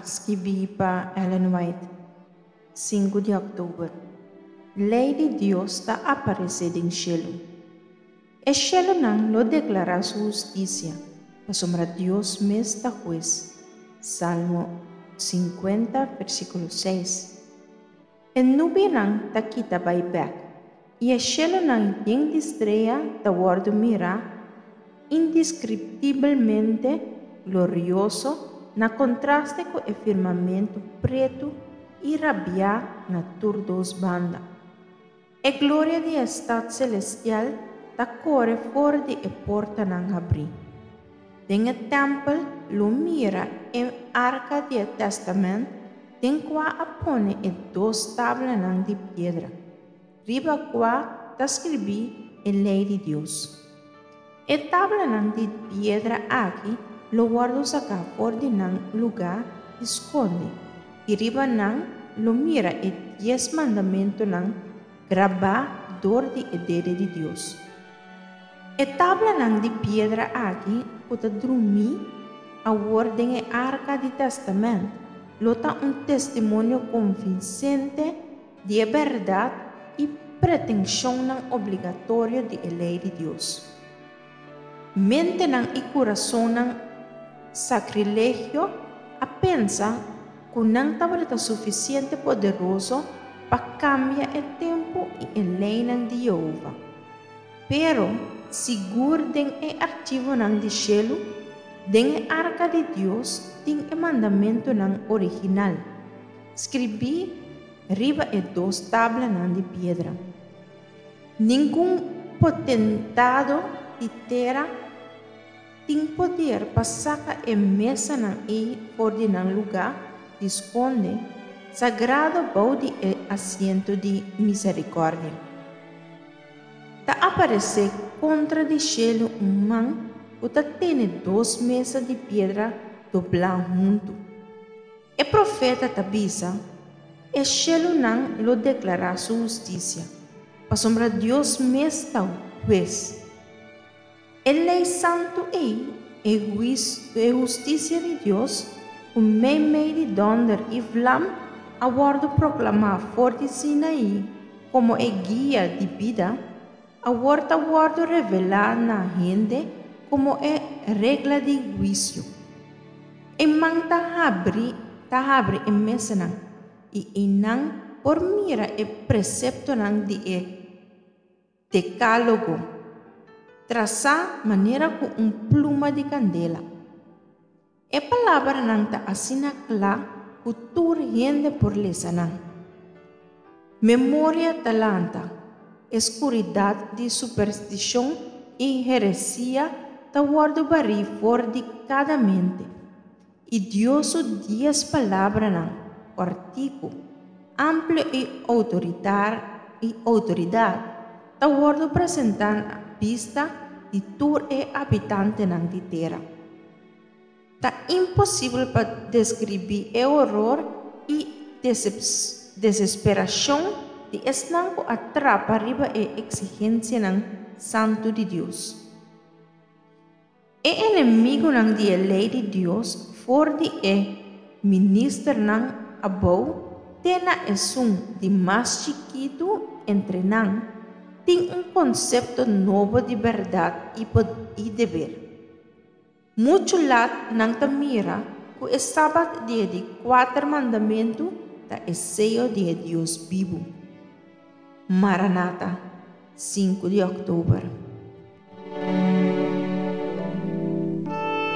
Skibí pa Ellen White, sinku di òktober. Lei di Dios ta aparesé den shelu. E shelunan lo deklará su hustisia, pasobra Dios mes ta hues. Salmo 50, versíkulo 6. E nubianan ta kita bai bèk, i e shelunan yen di strea ta wòrdu mirá indeskriptibelmente glorioso na kontraste ku e firmamentu pretu i rabiá na tur dos banda. E gloria di e stat selestial ta kore for di e portanan habrí. Den e tèmpel lo mira e arka di e tèstamènt den kua a pone e dos tablanan di piedra, riba kua ta skribí e lei di Dios. E tablanan di piedra aki lo wòrdu saká for di nan lugá di skonde, i riba nan lo mira e dies mandamentunan grabá dor di e dede di Dios. E tablanan di piedra aki ku ta drumí awor den e arka di tèstamènt lo ta un testimonio konvinsente di e bèrdat i pretenshonnan obligatorio di e lei di Dios. Mentenan i kurasonnan sakrilegio a pensa ku nan tabata sufisiente poderoso pa kambia e tempu i e leinan di Yehova. Pero, sigur den e archivonan di shelu, den e arka di Dios tin e mandamentunan original, skribí riba e dos tablanan di piedra. Ningun potentado di tera tin poder pa saka e mesanan ei for di nan lugá di skonde sagrado bou di e asiento di miserikòrdia. Ta aparesé kontra di shelu un man ku ta tene dos mesa di piedra doblá huntu. E profeta ta bisa, E shelunan lo deklará su hustisia, pasobra Dios mes ta hues. E lei santu ei, e hustisia di Dios, ku meimei di dònder i vlam a wòrdu proklamá for di Sinaí komo e guia di bida, awor ta wòrdu revelá na hende komo e regla di huisio. E man ta habri ta habri e mesanan, i einan por mira e preseptonan di e Dekálogo, trasá manera ku un pluma di kandela. E palabranan ta asina kla ku tur hende por lesa nan. Memoria ta lanta, e skuridat di superstishon i heresia ta wòrdu barí for di kada mente, i Dios su dies palabranan kòrtiku, amplio i i outoridat ta wòrdu presentá na bista di tur e abitantenan di tera. Ta imposibel pa deskribí e horor i desesperashon di esnan ku a trapa riba e eksigensianan santu di Dios. E enemigunan di e lei di Dios, for di e ministernan abou te na esun di mas chikitu entre nan, tin un konsepto nobo di bèrdat i deber. Muchu lat nan ta mira ku e Sabat di e di kuater mandamentu ta e seyo di e Dios bibu. Maranata, sinku di òktober.